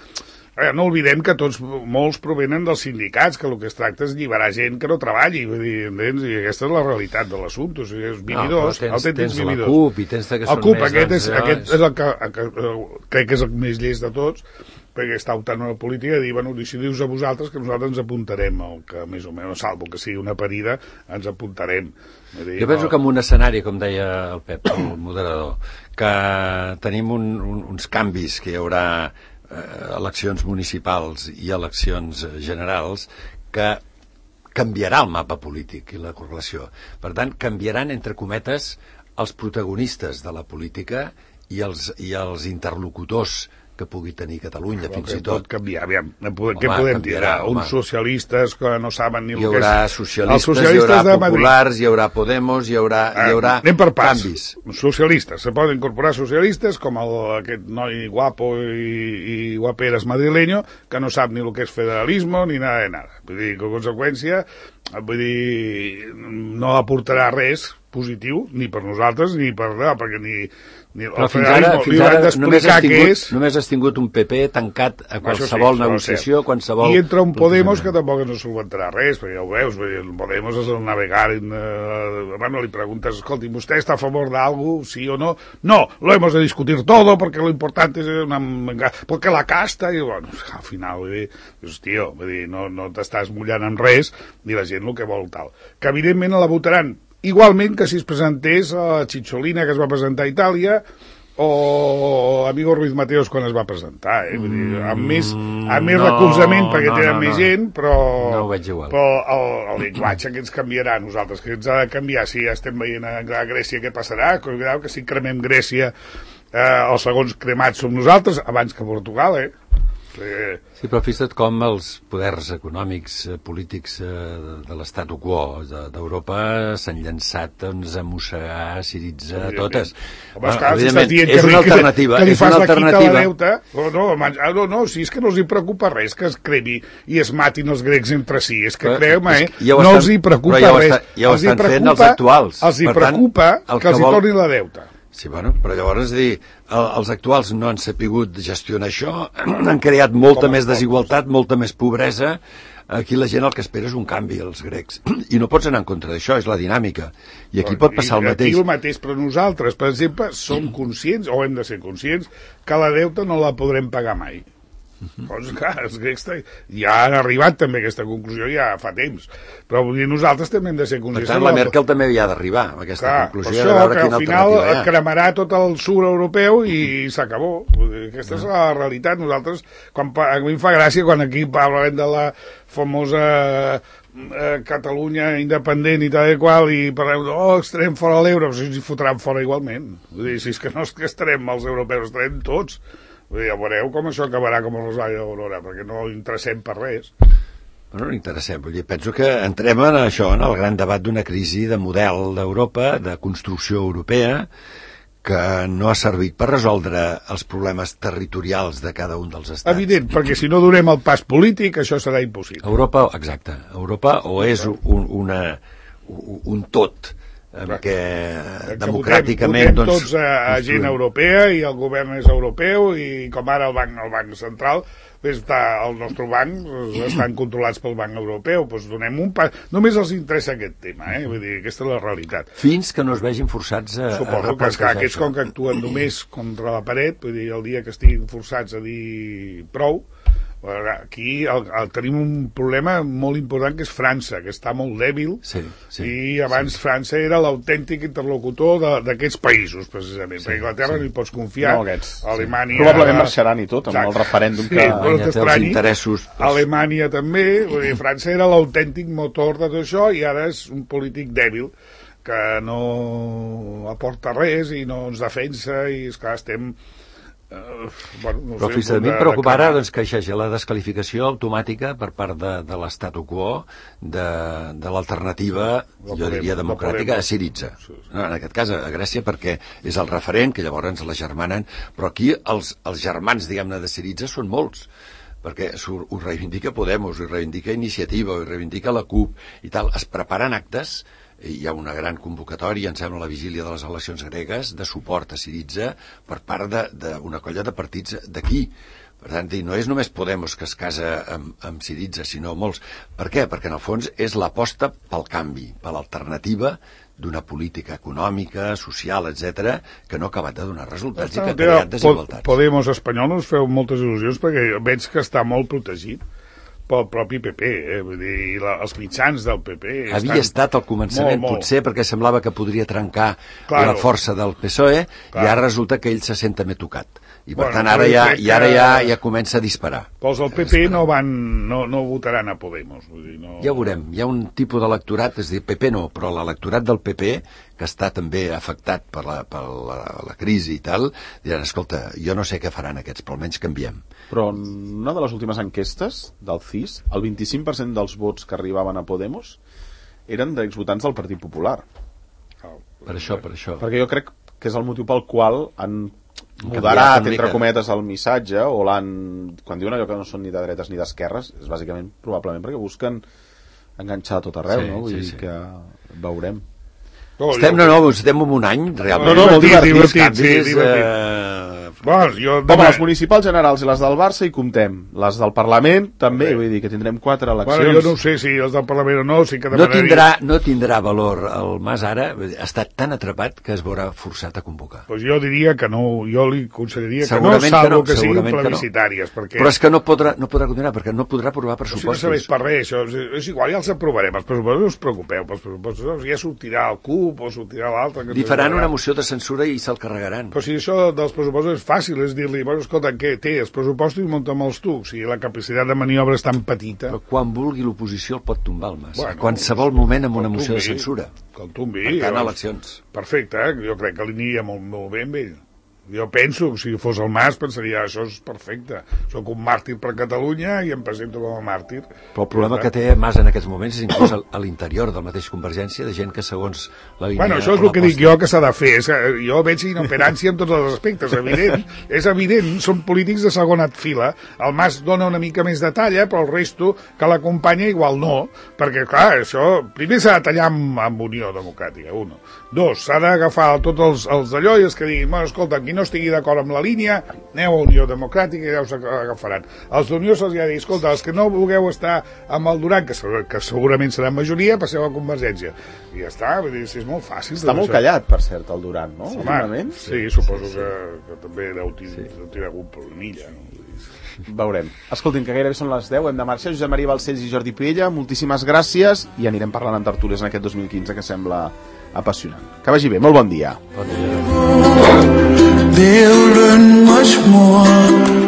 D: Eh, no oblidem que tots, molts provenen dels sindicats, que el que es tracta és alliberar gent que no treballi, vull dir, entens? I aquesta és la realitat de l'assumpte, o sigui, és vividors,
C: no, però tens,
D: autèntics
C: tens la
D: vividors.
C: CUP i tens que
D: El
C: són
D: CUP,
C: més,
D: aquest,
C: doncs,
D: és,
C: ja,
D: aquest és el que, el que eh, crec que és el més llest de tots, perquè està optant a la política i dir, bueno, decidiu-vos a vosaltres que nosaltres ens apuntarem el que més o menys, salvo que sigui una parida, ens apuntarem. Vull dir,
C: Jo penso
D: no-
C: que en un escenari, com deia el Pep, el moderador, que tenim un, un, uns canvis, que hi haurà eh, eleccions municipals i eleccions eh, generals, que canviarà el mapa polític i la correlació. Per tant, canviaran, entre cometes, els protagonistes de la política i els, i els interlocutors que pugui tenir Catalunya,
D: Però
C: fins
D: que
C: i tot.
D: pot canviar, aviam, què podem
C: canviarà,
D: dir?
C: home.
D: Uns socialistes que no saben ni
C: Hi
D: el que és...
C: haurà
D: Els
C: socialistes, hi haurà
D: de Madrid.
C: populars, hi haurà Podemos, hi haurà, hi haurà
D: Anem per pas.
C: canvis.
D: Socialistes, se poden incorporar socialistes com el, aquest noi guapo i, i guaperas madrileño que no sap ni el que és federalisme ni nada de nada. Vull dir, que en conseqüència, vull dir, no aportarà res positiu, ni per nosaltres, ni per... No, perquè ni, ni
C: Però
D: el
C: fins ara,
D: federalisme
C: fins
D: li
C: ara
D: han
C: només, has
D: d'explicar què
C: tingut,
D: és...
C: només has tingut un P P tancat a
D: Això sí,
C: qualsevol
D: això
C: negociació,
D: és
C: qualsevol...
D: I entra un Podemos que
C: plantejament.
D: tampoc no solventarà res, perquè ja ho veus, perquè el Podemos és el navegar en... Eh, bueno, li preguntes, escolti, ¿usted está a favor de algo, sí o no? No, lo hemos de discutir todo, porque lo importante es una... porque la casta, i bueno, al final, vull dir, dius, tio, vull dir, no, no t'estàs mullant en res, ni la gent el que vol tal. Que evidentment la votaran igualment que si es presentés a Cicciolina, que es va presentar a Itàlia, o Amigo Ruiz Mateos quan es va presentar, eh? Vull dir, amb més, amb més
C: no,
D: recolzament perquè
C: no,
D: tenen
C: no,
D: més
C: no.
D: gent, però,
C: No ho veig igual.
D: però el, el llenguatge que ens canviarà a nosaltres, que ens ha de canviar, si ja estem veient a, a Grècia què passarà, cuidado que si cremem Grècia, eh, els segons cremats som nosaltres, abans que Portugal, eh? Eh,
C: Sí, però fixa't com els poders econòmics, eh, polítics eh, de, de l'estatu quo de- d'Europa s'han llançat doncs, a mossegar, a siritzar,
D: Evidentment.
C: totes.
D: Home, esclar, si
C: evidentment,
D: estàs dient
C: és
D: que,
C: una
D: li-
C: alternativa,
D: que li
C: és
D: fas
C: una
D: la quita a la
C: alternativa.
D: deuta, oh, no, man- ah, no, no, si és que no els hi preocupa res que es cremi i es matin els grecs entre si, és que
C: Però
D: creu-me,
C: és
D: eh,
C: que ja ho
D: no
C: estan-
D: els hi preocupa
C: però ja ho
D: res,
C: està- ja ho
D: els hi
C: estan fent
D: preocupa,
C: els actuals.
D: els hi
C: Per tant,
D: preocupa
C: el
D: que
C: que
D: els hi
C: vol-
D: tornin la deuta.
C: Sí, bueno, però llavors, és a dir, el, els actuals no han sapigut gestionar això, han creat molta
D: Com
C: més
D: els
C: desigualtat, molta més pobresa. Aquí la gent el que espera és un canvi, els grecs. I no pots anar en contra d'això, és la dinàmica. I aquí pot passar el
D: I
C: mateix.
D: Aquí el mateix, però nosaltres, per exemple, som conscients, o hem de ser conscients, que la deuta no la podrem pagar mai. Doncs clar, els grecs ja han arribat també a aquesta conclusió ja fa temps, però vull dir, nosaltres també hem de ser
C: Per
D: conscients.
C: tant, la Merkel també havia d'arribar a aquesta
D: Clar,
C: conclusió
D: per
C: de
D: això
C: veure
D: que
C: quina
D: al final
C: alternativa hi ha.
D: cremarà tot el sud europeu i s'acabó. Aquesta és la realitat. Nosaltres, quan, pa- a mi em fa gràcia quan aquí parlem de la famosa eh, Catalunya independent i tal i qual, i parlem de, oh, estarem fora de l'euro, si ens hi fotran fora igualment. Vull dir, si és que no és que estarem els europeus, estarem tots. Vull dir, ja veureu com això acabarà com el Rosari d'Aurora, perquè no interessem per res.
C: Bueno, no interessem, vull dir, penso que entrem en això, en el gran debat d'una crisi de model d'Europa, de construcció europea, que no ha servit per resoldre els problemes territorials de cada un dels estats.
D: Evident, perquè si no donem el pas polític, això serà impossible.
C: Europa, exacte, Europa o és un, una, un tot en què democràticament...
D: Votem, votem tots a, a gent europea i el govern és europeu i com ara el banc, el banc central està, el nostre banc estan controlats pel banc europeu, doncs donem un pas, només els interessa aquest tema, eh? Vull dir, aquesta és la realitat.
C: Fins que no es vegin forçats a,
D: Suposo
C: a replantejar.
D: que aquests com que actuen només contra la paret, vull dir, el dia que estiguin forçats a dir prou, aquí el, el, tenim un problema molt important que és França, que està molt dèbil,
C: sí, sí,
D: i abans sí. França era l'autèntic interlocutor d'aquests països, precisament, sí, perquè Anglaterra sí. no hi pots confiar,
B: no, aquests,
D: Alemanya...
B: Sí. Probablement marxaran i tot, amb exacte. El referèndum
D: sí,
B: que...
D: No t'estranyi,
C: interessos, doncs...
D: Alemanya també, vull dir, França era l'autèntic motor de tot això i ara és un polític dèbil que no aporta res i no ens defensa i, esclar, estem... Uh, bueno, no
C: però
D: sé,
C: fins a mi em preocupa ara doncs, que hi hagi la descalificació automàtica per part de, de l'statu quo de, de l'alternativa, no jo diria democràtica, no a Syriza. No, en aquest cas a Grècia perquè és el referent, que llavors ens la germanen, però aquí els, els germans, diguem-ne, de Syriza són molts, perquè ho reivindica Podemos, ho reivindica Iniciativa, ho reivindica la CUP i tal. Es preparen actes, hi ha una gran convocatòria, em sembla, a la vigília de les eleccions gregues, de suport a Syriza per part d'una colla de partits d'aquí. Per tant, no és només Podemos que es casa amb, amb Syriza, sinó molts. Per què? Perquè en el fons és l'aposta pel canvi, per l'alternativa d'una política econòmica, social, etcètera, que no ha acabat de donar resultats i que ha creat desigualtats.
D: Podemos espanyol us feu moltes il·lusions perquè veig que està molt protegit pel propi P P, eh? Vull dir, la, els mitjans del P P...
C: Havia estat al començament, molt, molt. Potser perquè semblava que podria trencar claro. La força del P S O E, claro. I ara resulta que ell se sent també tocat. I per bueno, tant ara, ja, i ara ja, ja comença a disparar.
D: Però els del P P no, van, no, no votaran a Podemos. Vull dir, no...
C: Ja ho veurem. Hi ha un tipus d'electorat, és a dir, P P no, però l'electorat del P P, que està també afectat per la, per la, la crisi i tal, diran, escolta, jo no sé què faran aquests, però almenys canviem.
B: Però en una de les últimes enquestes del C I S, el vint-i-cinc per cent dels vots que arribaven a Podemos eren d'exvotants del Partit Popular.
C: Per això, per això.
B: Perquè jo crec que és el motiu pel qual han moderat, entre cometes, el missatge, o l'han... Quan diuen allò que no són ni de dretes ni d'esquerres, és bàsicament, probablement, perquè busquen enganxar a tot arreu, sí, no? Vull sí, dir sí. Que veurem.
C: No, estem, no, no, estem en un any, realment.
B: No, no, molt divertit,
D: divertit, sí, divertit. Eh... Bueno, jo
B: demà... Home, les municipals generals i les del Barça hi comptem. Les del Parlament també, sí. Vull dir que tindrem quatre eleccions.
D: Bueno, jo no sé si els del Parlament o no, sí que
C: no tindrà, no tindrà valor el Mas ara, ha estat tan atrapat que es veurà forçat a convocar.
D: Pues jo diria que no, jo li consideraria que no, salvo que, no, que siguin plebiscitàries.
C: No. Perquè... Però és que no podrà, no podrà continuar, perquè no podrà aprovar pressupostos.
D: Si no serveix per res, això és, és igual, ja els aprovarem. Els pressupostos no us preocupeu, els pressupostos ja sortirà el C U P o sortirà l'altre.
C: Li faran una moció de censura i se'l carregaran.
D: Però si això dels pressupostos és fàcil, és dir-li, bueno, escolta, què té? Els pressupostos munten els tu, o sigui, la capacitat de maniobra és tan petita.
C: Però quan vulgui l'oposició el pot tombar el Mas. Bueno, a qualsevol moment amb una moció de censura.
D: Que el tombi.
C: Per tant, eleccions.
D: Perfecte, eh? Jo crec que li aniria molt, molt bé amb ell. Jo penso que si fos el Mas pensaria això és perfecte, soc un màrtir per Catalunya i em presento com a màrtir.
C: Però el problema que té Mas en aquests moments és inclús a l'interior del mateix Convergència de gent que segons la línia...
D: Bueno, això és el que dic jo que s'ha de fer, és que jo veig inoperància en tots els aspectes, evident, és evident, són polítics de segona fila, el Mas dona una mica més de talla, però el resto que l'acompanya igual no, perquè clar, això primer s'ha de tallar amb, amb Unió Democràtica, uno. Dos, s'ha d'agafar tots els, els d'allò i els que diguin, bueno, escolta, aquí no estigui d'acord amb la línia, aneu a Unió Democràtica i ja us agafaran. Els d'Unió se'ls ha dit, escolta, els que no vulgueu estar amb el Duran, que, que segurament serà majoria, passeu a Convergència. I ja està, vull dir, si és molt fàcil.
B: Està molt això. Callat, per cert, el Duran, no?
D: Home, sí, suposo sí, sí. Que, que també deu tenir sí. algun problemilla, no?
B: Veurem. Escoltin, que gairebé són les deu, hem de marxar. Josep Maria Balcells i Jordi Piella, moltíssimes gràcies i anirem parlant en tertúlies en aquest dos mil quinze que sembla apassionant. Que vagi bé, molt bon dia.
C: Bon dia.
E: They'll learn much more